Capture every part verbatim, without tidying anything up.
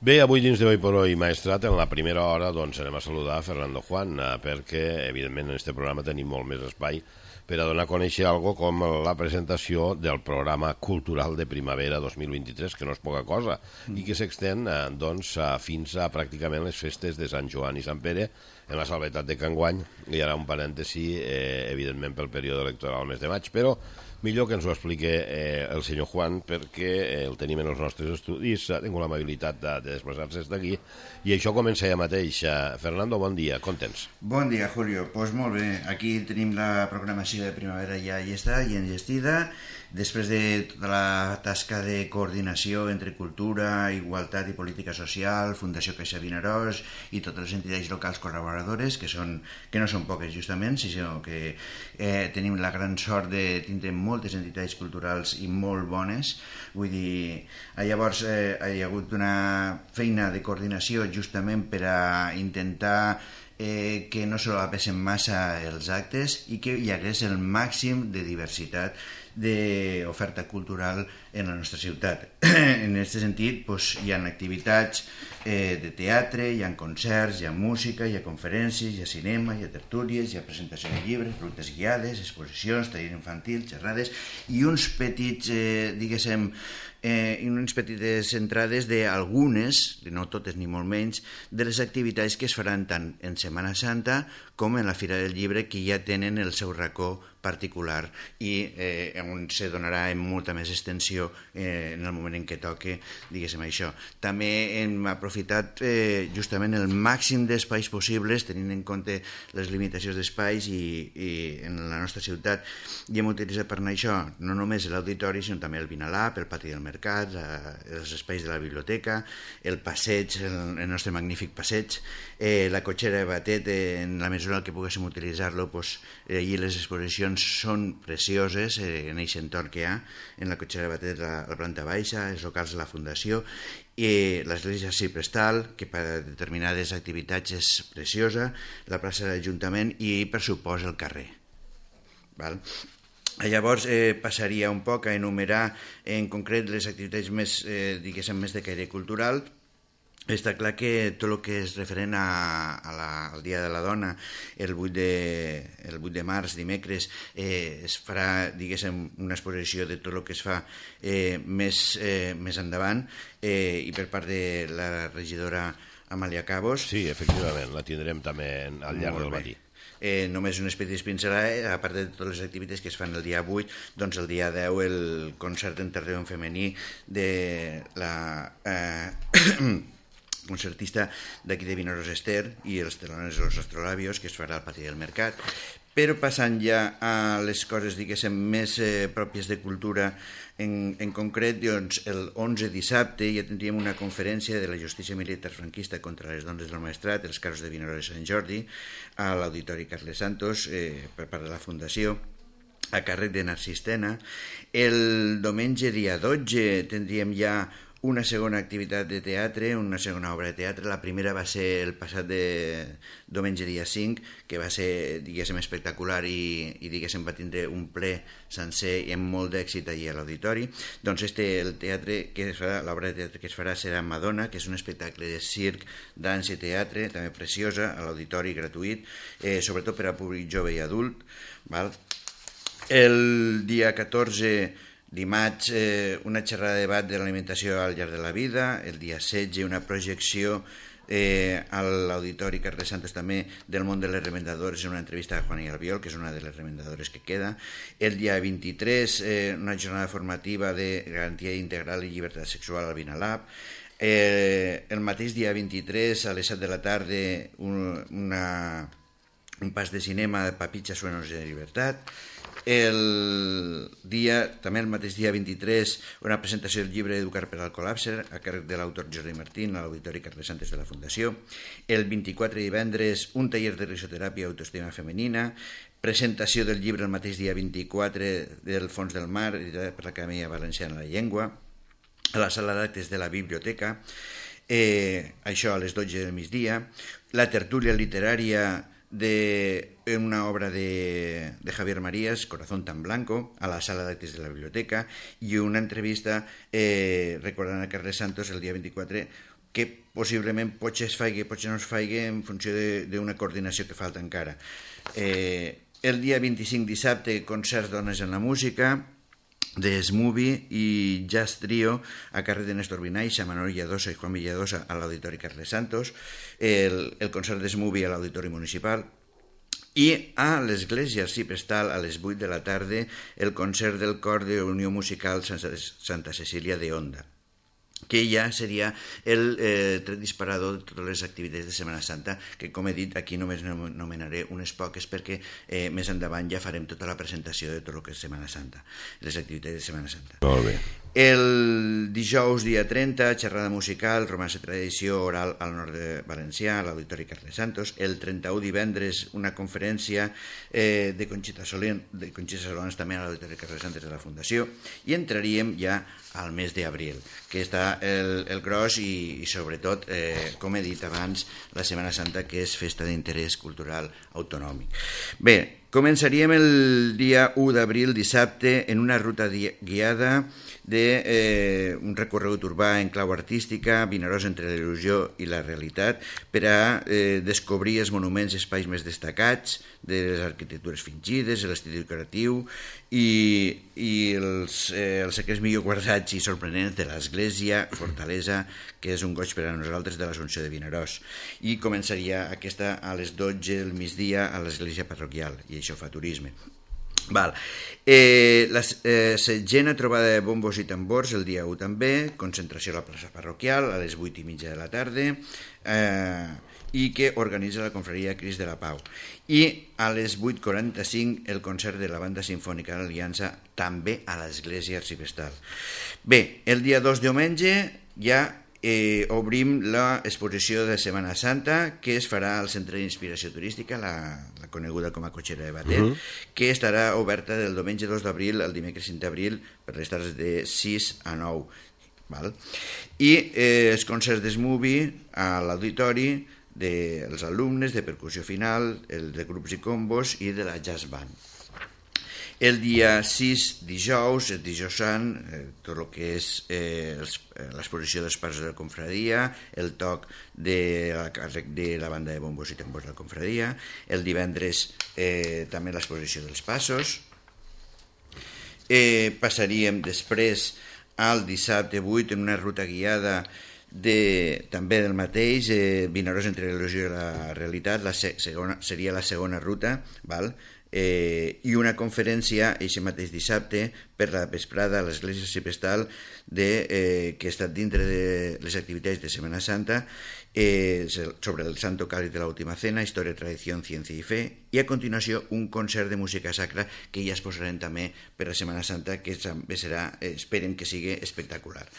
Bé, avui dins de Hoy por Hoy Maestrat, en la primera hora doncs anem a saludar a Fernando Juan, perquè evidentment en aquest programa tenim molt més espai per a donar a conèixer algo com la presentació del programa cultural de primavera dos mil vint-i-tres, que no és poca cosa, i que s'extén doncs, fins a pràcticament les festes de Sant Joan i Sant Pere, en la salvetat de que enguany hi ha un parèntesi, eh, evidentment pel període electoral al mes de maig, però millor que ens ho expliqui eh, el senyor Juan, perquè eh, el tenim en els nostres estudis, ha tingut l'amabilitat de, de desplaçar-se d'aquí, i això comença ja mateix. Fernando, bon dia, com tens? Bon dia, Julio. Doncs pues molt bé, aquí tenim la programació de primavera ja llesta i engestida, després de tota la tasca de coordinació entre cultura, igualtat i política social, Fundació Caixa Vinaròs i totes les entitats locals col·laboradores, que, són, que no són poques justament, sinó que eh, tenim la gran sort de tindre moltes entitats culturals i molt bones. Vull dir, llavors eh, hi ha hagut una feina de coordinació justament per a intentar eh, que no solapesen massa els actes i que hi hagués el màxim de diversitat d'oferta cultural en la nostra ciutat. En aquest sentit, doncs, hi ha activitats eh, de teatre, hi ha concerts, hi ha música, hi ha conferències, hi ha cinema, hi ha tertúlies, hi ha presentació de llibres, rutes guiades, exposicions, taller infantil, xerrades i uns petits, eh, diguéssim, eh, unes petites entrades d'algunes, no totes ni molt menys, de les activitats que es faran tant en Setmana Santa com en la Fira del Llibre, que ja tenen el seu racó particular i eh, on se donarà en molta més extensió eh, en el moment en què toque, diguéssim, això. També hem aprofitat eh, justament el màxim d'espais possibles, tenint en compte les limitacions d'espais i, i en la nostra ciutat, i hem utilitzat per anar això no només l'auditori, sinó també el Vinalab, el pati del mercat, la, els espais de la biblioteca, el passeig, el, el nostre magnífic passeig, eh, la cotxera de Batet, eh, en la mesura que poguéssim utilitzar-lo, doncs, eh, i les exposicions són precioses eh, en aquest entorn que hi ha en la cotxera de Batet, la, la planta baixa, els locals de la Fundació, i l'església Ciprestal, que per a determinades activitats és preciosa, la plaça de l'Ajuntament i, per supost, el carrer. Val? Llavors eh, passaria un poc a enumerar en concret les activitats més, eh, diguéssim, més de caire cultural. Està clar que tot el que és referent a, a la, al Dia de la Dona, el vuit de, el vuit de març, dimecres, eh, es farà, diguéssim, una exposició de tot el que es fa eh, més, eh, més endavant, eh, i per part de la regidora Amàlia Cabos. Sí, efectivament, la tindrem també al llarg del matí. Eh, només unes petites pincelades, a part de totes les activitats que es fan el dia vuit, doncs el dia deu el concert en terreny femení de la eh, concertista d'aquí de Vinaròs, Ester, i els telones de los astrolabios, que es farà al pati del mercat. Però passant ja a les coses, diguéssim, més eh, pròpies de cultura, en, en concret, doncs, el onze dissabte ja tindríem una conferència de la justícia militar franquista contra les dones del Maestrat, els casos de Vinaròs i Sant Jordi, a l'Auditori Carles Santos, eh, per part de la Fundació, a càrrec de Narcís Tena. El diumenge, dia dotze, tindríem ja una segona activitat de teatre, una segona obra de teatre. La primera va ser el passat de diumenge dia cinc, que va ser, diguéssim, espectacular i, i diguéssim, va tindre un ple sencer i amb molt d'èxit allà a l'auditori. Doncs este, el teatre que es farà, l'obra de teatre que es farà serà Madonna, que és un espectacle de circ, dansa i teatre, també preciosa, a l'auditori, gratuït, eh, sobretot per a públic jove i adult. Val? El dia catorze, dimarts, eh, una xerrada de debat de l'alimentació al llarg de la vida. El dia setze, una projecció eh, a l'Auditori Carles Santos també del món de les remendadores, en una entrevista a Juana Albiol, que és una de les remendadores que queda. El dia vint-i-tres, eh, una jornada formativa de garantia integral i llibertat sexual al Vinalab. Eh, el mateix dia vint-i-tres, a les set de la tarda, un, una, un pas de cinema de Papitxa Sueños de Libertad. El dia, també el mateix dia vint-i-tres, una presentació del llibre Educar per al col·lapse a càrrec de l'autor Jordi Martín a l'Auditori Carles Santos de la Fundació. El vint-i-quatre, divendres, un taller de risoteràpia i autoestima femenina, presentació del llibre el mateix dia vint-i-quatre del Fons del Mar, editat per l'Acadèmia Valenciana de la Llengua, a la sala d'actes de la biblioteca, eh, això a les dotze del migdia, la tertúlia literària de una obra de, de Javier Marías, Corazón tan blanco, a la sala d'actes de la biblioteca, i una entrevista eh, recordant a Carles Santos el dia vint-i-quatre, que possiblement potser es faigui, potser no es faigui en funció d'una coordinació que falta encara. Eh, el dia vint-i-cinc, dissabte, concerts Dones en la Música, de Smoothie i Jazz Trio a carrer de Néstor Vinaixa, Manolo Villadosa i Juan Villadosa a l'Auditori Carles Santos, el, el concert de Smoothie a l'Auditori Municipal, i a l'Església Arciprestal a les vuit de la tarda el concert del cor de Unió Musical Santa Cecília de Onda, que ja seria el eh, tret disparador de totes les activitats de Setmana Santa, que, com he dit, aquí només nomenaré unes poques perquè eh, més endavant ja farem tota la presentació de tot el que és Setmana Santa, les activitats de Setmana Santa. Molt bé. El dijous, dia trenta, xerrada musical, romance tradició oral al nord de Valencià, a l'Auditori Carles Santos. El trenta-u, divendres, una conferència eh, de Conxita Solén, de Conxita Solans també a l'Auditori Carles Santos de la Fundació, i entraríem ja al mes d'abril, que està el, el gros i, i sobretot, eh, com he dit abans, la Setmana Santa, que és festa d'interès cultural autonòmic. Bé, començaríem el dia u d'abril, dissabte, en una ruta guiada de eh, un recorregut urbà en clau artística, Vinaròs entre la il·lusió i la realitat, per a eh, descobrir els monuments i espais més destacats de les arquitectures fingides, l'estil decoratiu i, i els, eh, els secrets millor guardats i sorprenents de l'església, fortalesa, que és un goig per a nosaltres, de l'Assumpció de Vinaròs. I començaria aquesta a les dotze del migdia a l'església parroquial, i això fa turisme. Val. Eh, la eh, setzena trobada de bombos i tambors el dia u també, concentració a la plaça parroquial a les vuit i mitja de la tarda, eh, i que organitza la confraria Crist de la Pau. I a les vuit quaranta-cinc el concert de la Banda Simfònica de l'Aliança també a l'església arciprestal. Bé, el dia dos, diumenge, ja Eh, obrim l'exposició de Setmana Santa, que es farà al Centre d'Inspiració Turística, la, la coneguda com a Cotxera de Batet, uh -huh. que estarà oberta del diumenge dos d'abril al dimecres cinc d'abril per les tardes de sis a nou. Val? I eh, els concerts d'Smoothie a l'auditori dels alumnes de percussió final, el de grups i combos i de la jazz band. El dia sis, dijous, el dijous sant, eh, tot el que és eh, l'exposició dels passos de la confraria, el toc de la, de la banda de bombos i tambors de la confraria, el divendres eh, també l'exposició dels passos. Eh, passaríem després al dissabte vuit en una ruta guiada de, també del mateix, eh, Vinaròs entre la il·lusió i la realitat, la se, segona, seria la segona ruta, val? Eh, i una conferència aquest mateix dissabte per la vesprada a l'església arciprestal de, eh, que ha estat dintre de les activitats de Setmana Santa eh, sobre el Santo Cáliz de la Última Cena, història, tradició, ciència i fe, i a continuació un concert de música sacra que ja es posarem també per la Setmana Santa, que també serà, eh, esperem que sigui espectacular.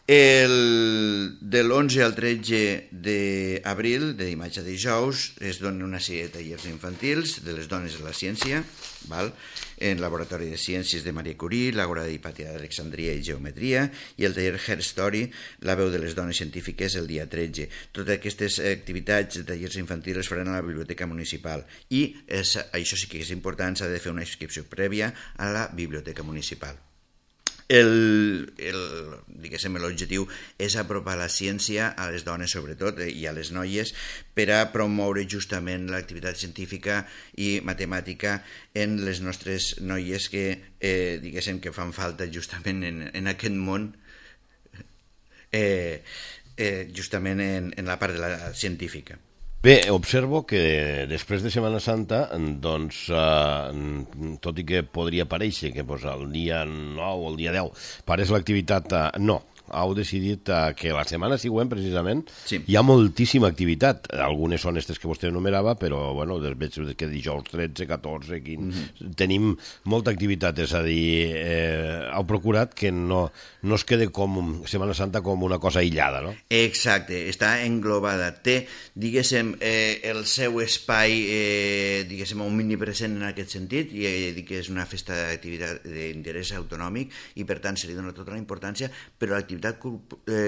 El, de l'onze al tretze d'abril, de dimarts a dijous, es donen una sèrie de tallers infantils de les dones de la ciència, val? En Laboratori de Ciències de Maria Curie, l'Àgora d'Hipàtia d'Alexandria i Geometria, i el taller Her Story, la veu de les dones científiques, el dia tretze. Totes aquestes activitats de tallers infantils es faran a la Biblioteca Municipal i és, això sí que és important, s'ha de fer una inscripció prèvia a la Biblioteca Municipal. El, el, diguéssim, l'objectiu és apropar la ciència a les dones sobretot i a les noies per a promoure justament l'activitat científica i matemàtica en les nostres noies que, eh, diguéssim, que fan falta justament en, en aquest món, eh, eh, justament en, en la part de la científica. Bé, observo que després de Setmana Santa, doncs, eh, tot i que podria parèixer que pues, el dia nou o el dia deu pareix l'activitat, eh, no, heu decidit eh, que la setmana següent, precisament, sí. Hi ha moltíssima activitat. Algunes són aquestes que vostè enumerava, però, bueno, veig que dijous tretze, catorze, quinze... Mm-hmm. Tenim molta activitat, és a dir, eh, heu procurat que no, no es quede com Setmana Santa com una cosa aïllada, no? Exacte, està englobada. Té, diguéssim, eh, el seu espai, eh, diguéssim, un mini present en aquest sentit, i eh, dic que és una festa d'activitat d'interès autonòmic i, per tant, se li dona tota la importància, però l'activitat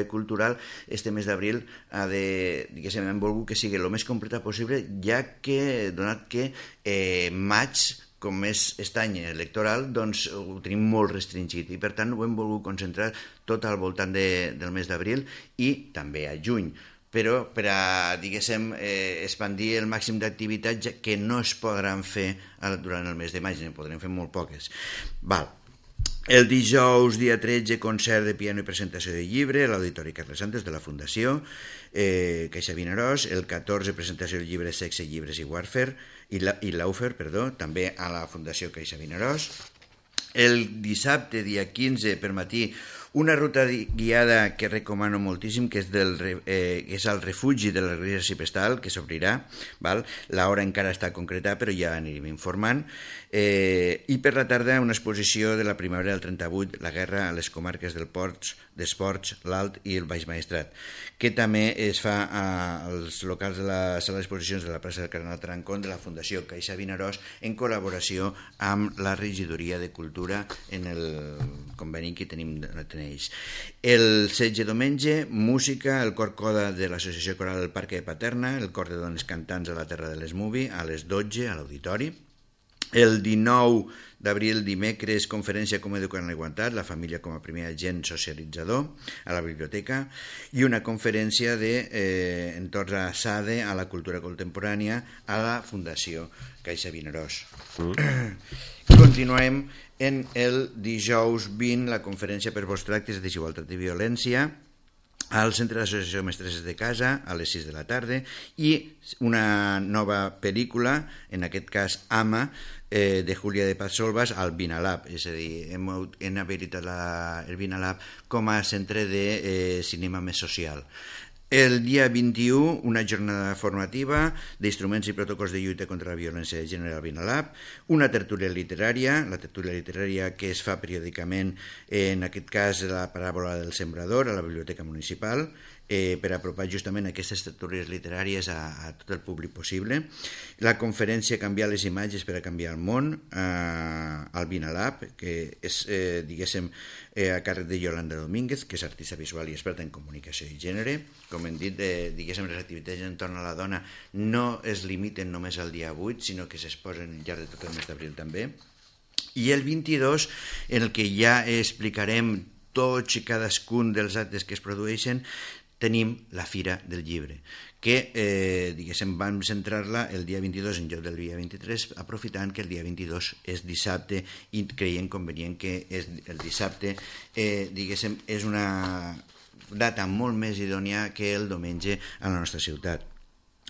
cultural este mes d'abril ha de, diguéssim, hem volgut que sigui el més completa possible, ja que, donat que eh, maig com és aquest any electoral, doncs ho tenim molt restringit i per tant ho hem volgut concentrar tot al voltant de, del mes d'abril i també a juny, però per a, diguéssim, eh, expandir el màxim d'activitats que no es podran fer durant el mes de maig, ne podrem fer molt poques. Val. El dijous, dia tretze, concert de piano i presentació de llibre a l'Auditori Carles Santos de la Fundació eh, Caixa Vinaròs. El catorze, presentació del llibre Sexe, Llibres i Warfare i, la, i Laufer, perdó, també a la Fundació Caixa Vinaròs. El dissabte, dia quinze, per matí, una ruta guiada que recomano moltíssim, que és, del, eh, que és el refugi de l'Església Arciprestal, que s'obrirà, l'hora encara està concretada, però ja anirem informant. Eh, I per la tarda una exposició de la primavera del trenta-vuit, la guerra a les comarques del Ports, d'Esports, l'Alt i el Baix Maestrat, que també es fa als locals de la sala d'exposicions de la plaça del Cardenal Tarancón de la Fundació Caixa Vinaròs en col·laboració amb la Regidoria de Cultura en el conveni que tenim ells. El setze diumenge, música, el cor coda de l'Associació Coral del Parc de Paterna, el cor de dones cantants a la Terra de les Movi, a les dotze a l'Auditori. El dinou d'abril, dimecres, conferència Com educar en la igualtat, la família com a primer agent socialitzador a la biblioteca i una conferència de eh, entorn a SADE, a la cultura contemporània, a la Fundació Caixa Vinaròs. Mm. Continuem en el dijous vint, la conferència per bons tractes de desigualtat i violència al Centre d'Associació Mestresses de Casa a les sis de la tarda i una nova pel·lícula, en aquest cas Ama, eh, de Júlia de Paz Solvas al Vinalab, és a dir, hem, hem habilitat la, el Vinalab com a centre de eh, cinema més social. El dia vint-i-u, una jornada formativa d'instruments i protocols de lluita contra la violència de gènere al Vinalab, una tertúlia literària, la tertúlia literària que es fa periòdicament, en aquest cas la paràbola del sembrador a la Biblioteca Municipal, eh, per apropar justament aquestes tertúlies literàries a, a tot el públic possible. La conferència Canviar les imatges per a canviar el món eh, al Vinalab, que és, eh, diguéssim, eh, a càrrec de Yolanda Domínguez, que és artista visual i experta en comunicació i gènere. Com hem dit, eh, diguéssim, les activitats entorn a la dona no es limiten només al dia vuit, sinó que s'exposen al llarg de tot el mes d'abril també. I el vint-i-dos, en el que ja explicarem tots i cadascun dels actes que es produeixen, tenim la Fira del Llibre, que, eh, diguéssim, vam centrar-la el dia vint-i-dos en lloc del dia vint-i-tres, aprofitant que el dia vint-i-dos és dissabte i creiem convenient que és el dissabte, eh, diguéssim, és una data molt més idònia que el diumenge a la nostra ciutat.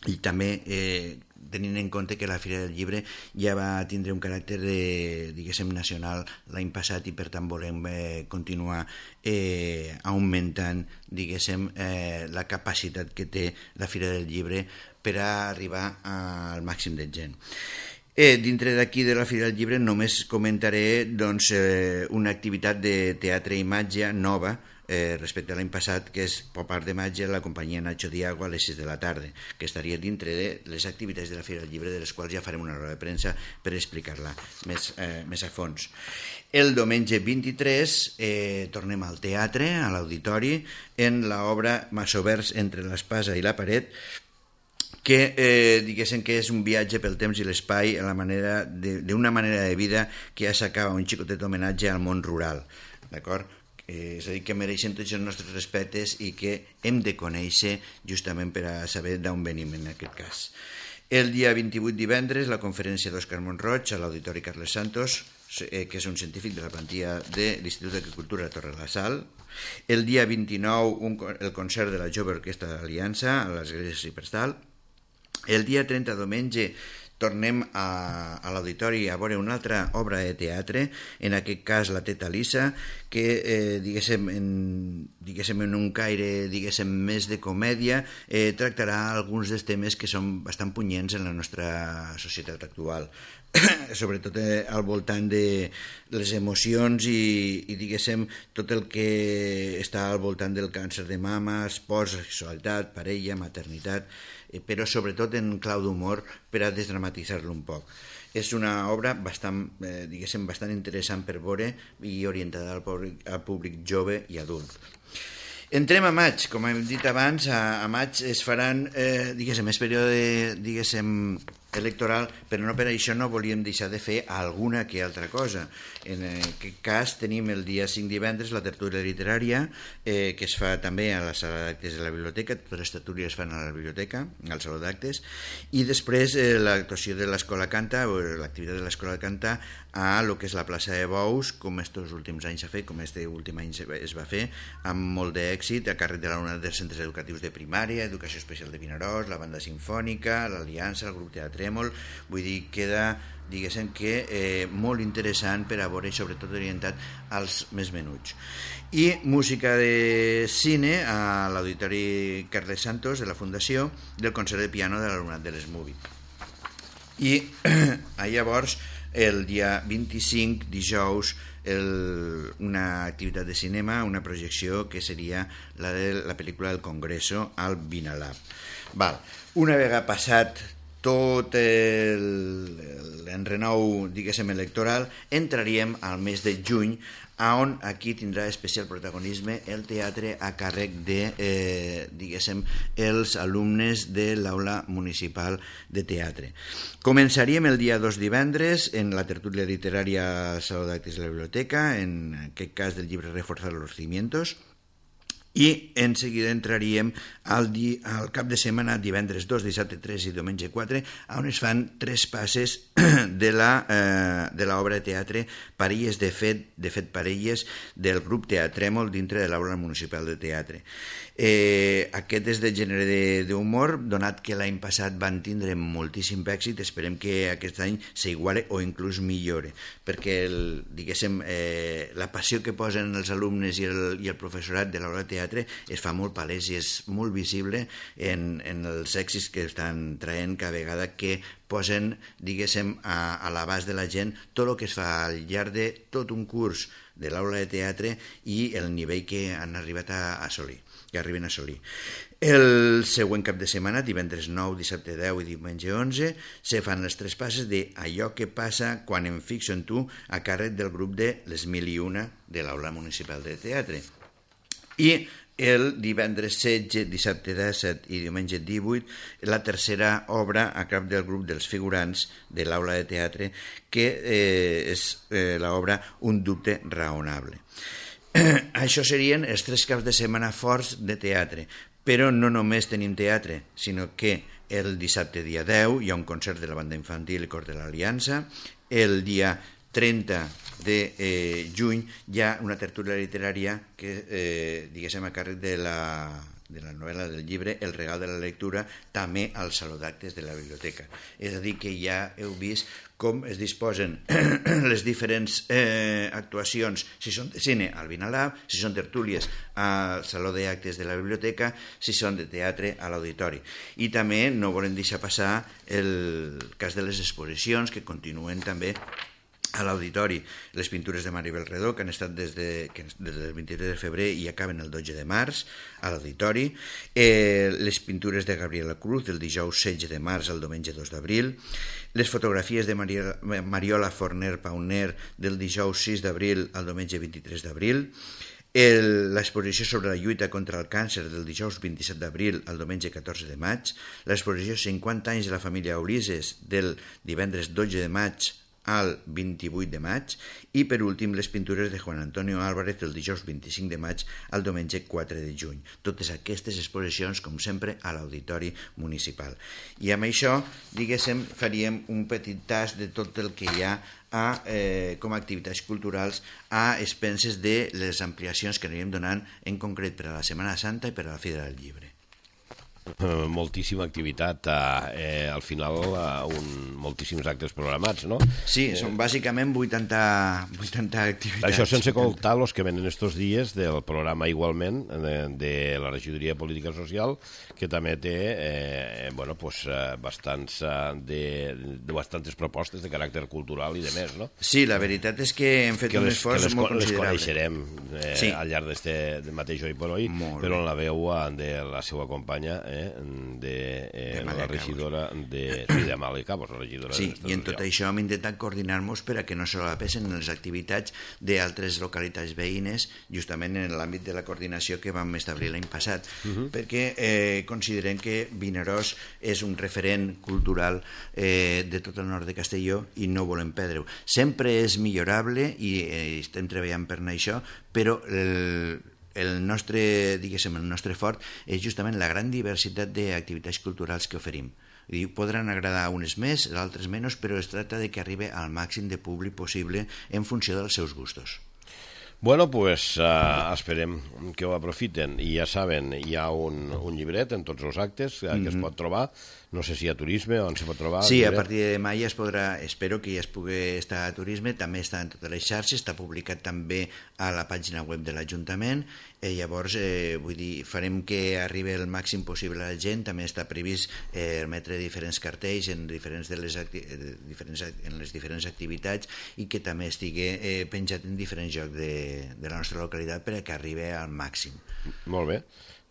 I també eh, tenint en compte que la Fira del Llibre ja va tindre un caràcter de, diguéssim, nacional l'any passat i per tant volem eh, continuar eh, augmentant, diguéssim, eh, la capacitat que té la Fira del Llibre per a arribar al màxim de gent. Eh, dintre d'aquí de la Fira del Llibre només comentaré doncs, eh, una activitat de teatre i imatge nova eh, respecte a l'any passat, que és Pop Art de Màgia, la companyia Nacho Diago a les sis de la tarda, que estaria dintre de les activitats de la Fira del Llibre, de les quals ja farem una roda de premsa per explicar-la més, eh, més a fons. El diumenge vint-i-tres eh, tornem al teatre, a l'Auditori, en l'obra Masovers entre l'espasa i la paret, que eh, diguéssim que és un viatge pel temps i l'espai a la manera d'una manera de vida que ja s'acaba, un xicotet homenatge al món rural, d'acord? Eh, és a dir, que mereixen tots els nostres respectes i que hem de conèixer justament per a saber d'on venim en aquest cas. El dia vint-i-vuit, divendres, la conferència d'Òscar Montroig a l'Auditori Carles Santos, eh, que és un científic de la plantilla de l'Institut d'Agricultura de Torre la Sal. El dia vint-i-nou, un, el concert de la Jove Orquestra d'Aliança a l'Església Arciprestal. El dia trenta, diumenge, tornem a, a l'Auditori a veure una altra obra de teatre, en aquest cas la Teta Lisa, que eh, diguéssim, en, diguéssim en un caire diguéssim, més de comèdia, eh, tractarà alguns dels temes que són bastant punyents en la nostra societat actual, sobretot eh, al voltant de les emocions i, i diguéssim tot el que està al voltant del càncer de mama, esport, sexualitat, parella, maternitat, però sobretot en clau d'humor per a desdramatitzar-lo un poc. És una obra bastant, eh, diguéssim, bastant interessant per veure i orientada al públic, al públic jove i adult. Entrem a maig, com hem dit abans, a, a maig es faran, eh, diguéssim, és període, diguéssim, electoral, però no per això no volíem deixar de fer alguna que altra cosa. En aquest cas tenim el dia cinc divendres la tertúlia literària, eh, que es fa també a la sala d'actes de la biblioteca, totes les tertúlies es fan a la biblioteca, al saló d'actes, i després eh, l'actuació de l'Escola Canta, o l'activitat de l'Escola Canta, a lo que és la plaça de Bous, com estos últims anys s'ha fet, com este últim any es va fer, amb molt d'èxit, a càrrec de l'alumnat dels centres educatius de primària, Educació Especial de Vinaròs, la Banda Simfònica, l'Aliança, el grup Teatrèmol. Vull dir, queda, diguéssim que, eh, molt interessant per a veure i sobretot orientat als més menuts. I música de cine a l'Auditori Carles Santos de la Fundació, del concert de piano de l'alumnat de l'Esmubi. I llavors, el dia vint-i-cinc, dijous, el, una activitat de cinema, una projecció que seria la de la pel·lícula del Congreso al Vinalab. Val. Una vegada passat tot l'enrenou, diguéssim, electoral, entraríem al mes de juny, on aquí tindrà especial protagonisme el teatre a càrrec de, eh, diguéssim, els alumnes de l'Aula Municipal de Teatre. Començaríem el dia dos divendres en la tertúlia literària al Saló d'Actes de la Biblioteca, en aquest cas del llibre Reforzar los cimientos, i en seguida entraríem al, di, al cap de setmana, divendres dos, dissabte tres i diumenge quatre, on es fan tres passes de la eh, de l'obra de teatre Parelles de fet, de fet Parelles, del grup Teatrèmol dintre de l'Aula Municipal de Teatre. Eh, aquest és de gènere d'humor, donat que l'any passat van tindre moltíssim èxit, esperem que aquest any s'iguale o inclús millore, perquè el, diguéssim, eh, la passió que posen els alumnes i el, i el professorat de l'obra de teatre es fa molt palès i és molt visible en, en els èxits que estan traient cada vegada que posen, diguéssim, a, a l'abast de la gent tot el que es fa al llarg de tot un curs de l'aula de teatre i el nivell que han arribat a, a assolir, que arriben a assolir. El següent cap de setmana, divendres nou, dissabte deu i diumenge onze, se fan les tres passes de Allò que passa quan em fixo en tu, a càrrec del grup de Les Mil i Una de l'Aula Municipal de Teatre. I el divendres setze, dissabte disset i diumenge divuit, la tercera obra a cap del grup dels figurants de l'Aula de Teatre, que eh, és eh, l'obra Un dubte raonable. Això serien els tres caps de setmana forts de teatre, però no només tenim teatre, sinó que el dissabte dia deu hi ha un concert de la banda infantil i cor de l'Aliança, el dia trenta de eh, juny hi ha una tertúlia literària que, eh, diguéssim, a càrrec de la, de la novel·la del llibre El regal de la lectura, també al Saló d'Actes de la Biblioteca. És a dir, que ja heu vist com es disposen les diferents eh, actuacions, si són de cine al Vinalab, si són tertúlies al Saló d'Actes de la Biblioteca, si són de teatre a l'Auditori. I també no volem deixar passar el cas de les exposicions, que continuen també a l'Auditori. Les pintures de Maribel Redó, que han estat des, de, que des del vint-i-tres de febrer i acaben el dotze de març a l'Auditori. Eh, les pintures de Gabriela Cruz, del dijous setze de març al diumenge dos d'abril. Les fotografies de Mariola, Mariola Forner Pauner, del dijous sis d'abril al diumenge vint-i-tres d'abril. L'exposició sobre la lluita contra el càncer, del dijous vint-i-set d'abril al diumenge catorze de maig. L'exposició cinquanta anys de la família Ulises, del divendres dotze de maig al vint-i-vuit de maig, i per últim les pintures de Juan Antonio Álvarez del dijous vint-i-cinc de maig al diumenge quatre de juny. Totes aquestes exposicions, com sempre, a l'Auditori Municipal. I amb això, diguéssim, faríem un petit tast de tot el que hi ha a, eh, com a activitats culturals a expenses de les ampliacions que anirem donant en concret per a la Setmana Santa i per a la Fira del Llibre. Uh, moltíssima activitat, uh, eh, al final uh, un, moltíssims actes programats, no? Sí, són bàsicament vuitanta, vuitanta activitats. Això sense comptar els que venen estos dies del programa igualment de, de la Regidoria de Política Social, que també té eh, bueno, pues, uh, bastants, uh, de, de bastantes propostes de caràcter cultural i de més, no? Sí, la veritat és que hem fet que un les, esforç les, molt considerable. Les coneixerem eh, sí. al llarg d'este mateix Hoy por Hoy, però en la veu de la seva companya, eh, eh, de, eh, De la Màlaga, regidora de, sí, de Màlaga, la regidora Sí, de i en tot això hem intentat coordinar-nos per a que no solapessen les activitats d'altres localitats veïnes, justament en l'àmbit de la coordinació que vam establir l'any passat, uh-huh. perquè eh, considerem que Vinaròs és un referent cultural eh, de tot el nord de Castelló i no volem perdre-ho. Sempre és millorable i eh, estem treballant per anar això, però el, el nostre, diguéssim, el nostre fort és justament la gran diversitat d'activitats culturals que oferim. I podran agradar unes més, d'altres menys, però es tracta de que arribi al màxim de públic possible en funció dels seus gustos. Bueno, pues uh, esperem que ho aprofiten. I ja saben, hi ha un, un llibret en tots els actes uh, que mm-hmm. es pot trobar. No sé si hi ha turisme, on se pot trobar. Sí, a partir de demà ja es podrà, espero que ja es pugui estar a turisme, també està en totes les xarxes, està publicat també a la pàgina web de l'Ajuntament, i llavors, eh, vull dir, farem que arribi el màxim possible a la gent, també està previst eh, emetre diferents cartells en, diferents de les acti diferents, en les diferents activitats i que també estigui eh, penjat en diferents llocs de, de la nostra localitat per a que arribi al màxim. Molt bé.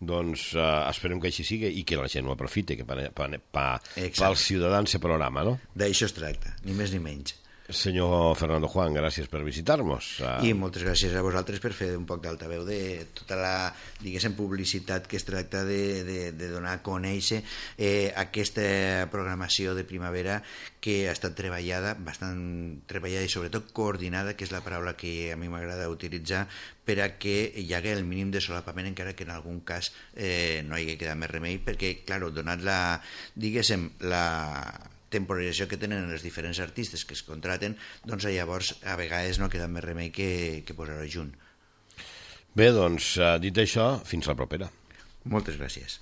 Doncs uh, esperem que així sigui i que la gent ho aprofiti, que per, per, per, pels ciutadans se programa, no? D'això es tracta, ni més ni menys. Senyor Fernando Juan, gràcies per visitar-nos. Uh... I moltes gràcies a vosaltres per fer un poc d'altaveu de tota la, diguéssim, publicitat que es tracta de, de, de donar a conèixer eh, aquesta programació de primavera que ha estat treballada, bastant treballada i sobretot coordinada, que és la paraula que a mi m'agrada utilitzar, per a que hi hagi el mínim de solapament, encara que en algun cas eh, no hi hagi quedat més remei, perquè, clar, donat la, diguéssim, la temporalització que tenen els diferents artistes que es contraten, doncs llavors a vegades no queda més remei que, que posar-ho junt. Bé, doncs, dit això, fins la propera. Moltes gràcies.